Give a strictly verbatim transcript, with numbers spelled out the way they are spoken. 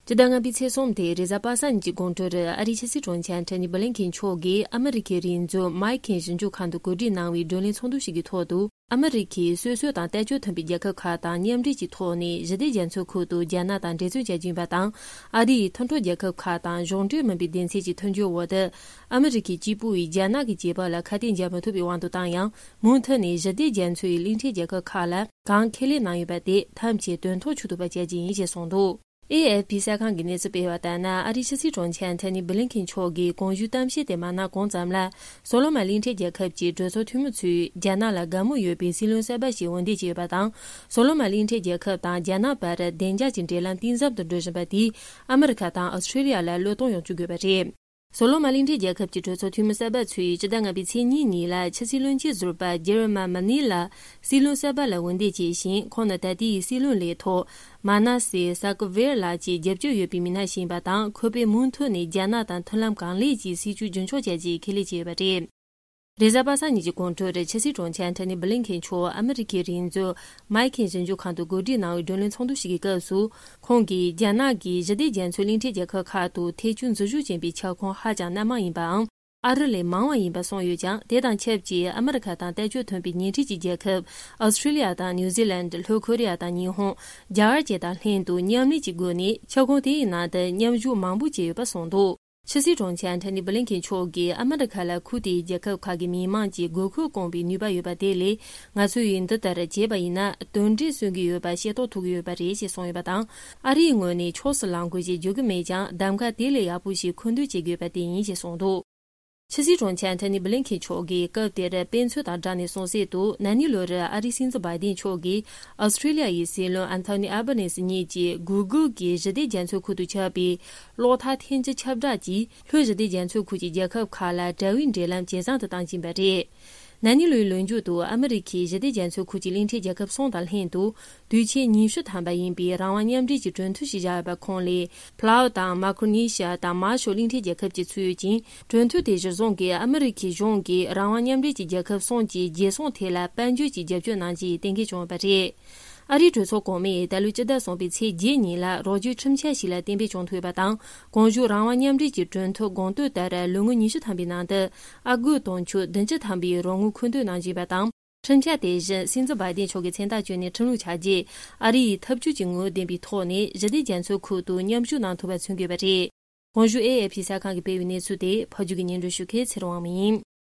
སྤྱི་ཟླ་ལྔ་པའི་ཚེས་གསུམ་སྟེ་རེས་གཟའ་པ་སངས་ཉིན་གྱི་དགོང་དྲོར་ཨ་རིའི་ཕྱི་སྲིད་དྲུང་ཆེ་ཨན་ཐོ་ནི་བྷི་ལིན་ཁེན་མཆོག་གིས་ཨ་མི་རི་ཁའི་རིག་མཛོད་མའི་ཁེན་ཞིབ་འཇུག་ཁང་དུ་གོ་སྒྲིག་གནང་བའི་བགྲོ་གླེང་ཚོགས་འདུ་ཞིག་གི་ཐོག་ཏུ། ཨ་མི་རི་ཁའི་སོ་སོ་དང་ལྟ་སྤྱོད་མཐུན་པའི་རྒྱལ་ཁབ་ཁག་དང་མཉམ་འབྲེལ་གྱི་ཐོག་ནས་ཞི་བདེ་རྒྱ་མཚོའི་ཁུལ་དུ་རྒྱ་ནག་དང་འབྲེལ་མཐུད་བྱ་རྒྱུ་ཡིན་པ་དང་། ཨ་རིའི་མཐུན་གྲོགས་རྒྱལ་ཁབ་ཁག་དང་གཞུང་འབྲེལ་མིན་པའི་སྡེ་ཚན་གྱི་མཐུན་འགྱུར་འོག་ཏུ། ཨ་མི་རི་ཁའི་གཅིག་པུ་ཡིས་རྒྱ་ནག་གི་བྱེད་པ་ལ་ཁ་གཏད་འཇལ་མི་ཐུབ་པའི་དབང་དུ་བཏང་ཡང་། མུ་མཐུད་ནས་ཞི་བདེ་རྒྱ་མཚོའི་གླིང་ཕྲན་རྒྱལ་ཁབ་ཁག་ལ་གང་ཁས་ལེན་གནང་ཡོད་པ་དེ་ཐམས་ཅད་དོན་ཐོག་ཆུད་ཐུབ་པ་བྱ་རྒྱུ་ཡིན་ཞེས་གསུངས་འདུག། ཨེ་ཨེཕ་པི་གསར་ཁང་གིས་གནས་ཚུལ་སྤེལ་བ་ལྟར་ན། ཨ་རིའི་ཕྱི་སྲིད་དྲུང་ཆེ་ཨན་ཐོ་ནི་བྷི་ལིན་ཁེན་མཆོག་གིས་གོང་ཞུས་གཏམ་བཤད་དེ་མ་གནང་གོང་ཙམ་ལ། སོ་ལོ་མོན་གླིང་ཕྲན་རྒྱལ་ཁབ་ཀྱི་གྲོས་ཚོགས་འཐུས་མི་ཚོས་རྒྱ་ནག་ལ་དགའ་མོས་ཡོད་པའི་སྲིད་བློན་གསར་པ་ཞིག་འོས་འདེམས་བྱས་ཡོད་པ་དང་། སོ་ལོ་མོན་གླིང་ཕྲན་རྒྱལ་ཁབ་དང་རྒྱ་ནག་བར་བདེ་འཇགས་ཀྱི་འབྲེལ་ལམ་གཏིང་ཟབ་ཏུ་འགྲོ་བཞིན་པ་དེས་ཨ་མི་རི་ཁ་དང་ཨོ་སི་ཁྲེ་ལི་ཡ་ལ་བློས་གཏོང་ཡོང་བཅུག་དགོས་པ་རེད། སོ་ལོ་མོན་གླིང་ཕྲན་རྒྱལ་ཁབ་ཀྱི་གྲོས་ཚོགས་འཐུས་མི་གསར་པ་ཚོས་སྤྱི་ཟླ་ལྔ་པའི་ཚེས་གཉིས་ཉིན་ལ་ཕྱི་སྲིད་བློན་ཆེན་ཟུར་པ་ཇེ་རི་མ་མ་ནི་ལ་སྲིད་བློན་གསར་པ་ལ་འོས་འདེམས་བྱས་ཤིང་། ཁོང་ནི་ད་ལྟའི་སྲིད་བློན་ལས་ཐོག་མ་ན་སེ་ས་ཀི་ཝེར་ལགས་ཀྱི་རྒྱབ་སྐྱོར་ཡོད་པའི་མི་སྣ་ཞིག་ཡིན་པ་དང་། ཁོ་པས་མུ་མཐུད་ནས་རྒྱ་ནག་དང་མཐུན་ལམ་གང་ལེགས་ཀྱི་སྲིད་བྱུས་རྒྱུན་འཁྱོངས་བྱ་རྒྱུའི་ཁས་ལེན་བྱས་ཡོད་པ་རེད། རེས་གཟའ་པ་སངས་ཉིན་གྱི་དགོང་དྲོར་ཕྱི་སྲིད་དྲུང་ཆེ་ཨན་ཐོ་ནི་བྷི་ལིན་ཁེན་མཆོག་ཨ་མི་རི་ཁའི་རིག་མཛོད་མའི་ཁེན་ཞིབ་འཇུག་ཁང་དུ་གོ་སྒྲིག་གནང་བའི་བགྲོ་གླེང་ཚོགས་འདུ་ཞིག་གི་སྐབས་སུ། ཁོང་གིས་རྒྱ་ནག་གིས་ཞི་བདེ་རྒྱ་མཚོའི་གླིང་ཕྲན་རྒྱལ་ཁབ་ཁག་ཏུ་ཐེ་བྱུས་འཛུལ་ཞུགས་ཕྱིན་པའི་ཁྱབ་ཁོངས་ཧ་ཅང་སྣ་མང་ཡིན་པའམ། ཨ་རི་ལས་མང་བ་ཡིན་པ་གསུངས་ཡོད་ཀྱང་། དེ་དང་ཆབས་ཅིག་ཨ་མི་རི་ཁ་དང་ལྟ་སྤྱོད་མཐུན་པའི་ཉེ་འཁྲིས་ཀྱི་རྒྱལ་ཁབ་ཨོ་སི་ཁྲེ་ལི་ཡ་དང་ནིའུ་ཛི་ལན། ལྷོ་ཁོ་རི་ཡ་དང་ཉི་ཧོང་། རྒྱ་གར་བཅས་དང་ལྷན་དུ་མཉམ་ལས་ཀྱི་སྒོ་ནས་ཁྱབ་ཁོངས་དེའི་ནང་དུ་མཉམ་ཞུགས་མང་པོ་བྱས་ཡོད་པ་གསུངས་འདུག། ཕྱི་སྲིད་དྲུང་ཆེ་ཨན་ཐོ་ནི་བྷི་ལིན་ཁེན་མཆོག་གིས་ཨ་མི་རི་ཁ་ལ་ཁུལ་དེའི་རྒྱལ་ཁབ་ཁག་གི་མི་དམངས་ཀྱི་དགོས་མཁོ་སྐོང་བའི་ནུས་པ་ཡོད་པ་དེ་ལས། ང་ཚོས་འདི་ལྟར་བྱས་པ་ཡིན་ན། དོན་འབྲས་སོན་གྱི་ཡོད་པ་ཤེས་རྟོགས་ཐུབ་ཀྱི་ཡོད་པ་རེད་ཅེས་གསུངས་ཡོད་པ་དང་། ཨ་རིའི་ངོས་ནས་ཕྱོགས་སུ་ལངས་དགོས་ཞེས་བརྗོད་ཀྱི་མེད་ཀྱང་། གདམ་ག་དེ་ལས་ཡག་པོ་ཞིག་མཁོ་འདོན་བྱེད་དགོས་པ་དེ་ཡིན་ཞེས་གསུངས་འདུག། ཕྱི་སྲིད་དྲུང་ཆེ་ཨན་ཐོ་ནི་བྷི་ལིན་ཁེན་མཆོག་གིས་སྐབས་དེར་དཔེ་མཚོན་དང་སྦྲགས་ནས་གསུངས་གསལ་དུ། ན་ནིང་ལོར་ཨ་རིའི་སྲིད་འཛིན་བྷའི་ཌེན་མཆོག་གིས་ཨོ་སི་ཁྲེ་ལི་ཡ་ཡི་སྲིད་བློན་ཨན་ཐོ་ནི་ཨལ་བྷ་ནེ་སི་གཉིས་ཀྱིས་གུ་གུལ་གྱིས་ཞི་བདེ་རྒྱ་མཚོའི་ཁུལ་དུ་ཁྱབ་པའི་གློག་ཐག་འཐེན་རྒྱུ་ཁྱབ་བསྒྲགས་ཀྱིས། ལྷོ་ཞི་བདེ་རྒྱ་མཚོའི་ཁུལ་གྱི་རྒྱལ་ཁབ་ཁག་ལ་དྲ་བའི་འབྲེལ་ལམ་ཇེ་བཟང་དུ་བཏང་བཞིན་པ་རེད། ན་ནིང་ལོའི་ལོ་མཇུག་ཏུ་ཨ་མི་རི་ཁས་ཞི་བདེ་རྒྱ་མཚོའི་ཁུལ་གྱི་གླིང་ཕྲན་རྒྱལ་ཁབ་གསུམ་དང་ལྷན་དུ། དུས་ཆེན་ཉི་ཤུ་ཐམ་པ་ཡིན་པའི་རང་དབང་མཉམ་འབྲེལ་གྱི་གྲོས་མཐུན་ཞིག་བཞག་ཡོད་པ་ཁོངས་ལས། ཕ་ལའུ་དང་མཱ་ཀྲོ་ནི་ཤི་ཡ་དང་མཱ་ཤལ་གླིང་ཕྲན་རྒྱལ་ཁབ་བཅས་ཚུད་ཡོད་ཅིང་། གྲོས་མཐུན་དེ་གཞིར་བཟུང་གིས་ཨ་མི་རི་ཁའི་གཞུང་གིས་རང་དབང་མཉམ་འབྲེལ་གྱི་རྒྱལ་ཁབ་གསུམ་གྱི་རྒྱལ་སྲུང་ཐད་ལ་དཔལ་འབྱོར་གྱི་རྒྱབ་སྐྱོར་གནང་རྒྱུའི་གཏན་འཁེལ་བྱུང་ཡོད་པ་རེད། ཨ་རིའི་གྲོས་ཚོགས་གོང་མས་ད་ལོའི་སྤྱི་ཟླ་གསུམ་པའི་ཚེས་བརྒྱད་ཉིན་ལ་རོགས་སྐྱོར་ཁྲིམས་འཆར་ཞིག་ལ་གཏན་འབེབས་བྱུང་ཐུབ་ཡོད་པ་དང་། གོང་ཞུས་རང་དབང་མཉམ་འབྲེལ་གྱི་གྲོས་མཐུན་དགོངས་དོན་ལྟར། ལོ་ངོ་ཉི་ཤུ་ཐམ་པའི་ནང་དུ་ཨ་སྒོར་དུང་ཕྱུར་བདུན་ཅུ་ཐམ་པའི་རོགས་དངུལ་མཁོ་འདོན་གནང་བཞིན་པ་དང་། ཁྲིམས་འཆར་དེ་བཞིན་སྲིད་འཛིན་བྷའི་ཏིན་མཆོག་གིས་མཚན་རྟགས་བསྐྱོན་ནས་ཁྲིམས་ལུགས་ཆ་རྗེས། ཨ་རི་ཡིས་ཐབས་ཇུས་ཀྱི་ངོ་བོ་ལྡན་པའི་ཐོག་ནས་ཞི་བདེ་རྒྱ་མཚོའི་ཁུལ་དུ་མཉམ་ཞུགས་གནང་ཐུབ་པ་མཚོན་དགོས་པ་རེད། གོང་ཞུས་ཨེ་ཨེ་ཕི་གསར་ཁང་གིས་སྤེལ་བའི་གནས་ཚུལ་དེ་ཕབ་སྒྱུར་གྱིས་སྙན་སྒྲོན་ཞུ་མཁན་ཚེ་རིང་དབང་མོ་ཡིན།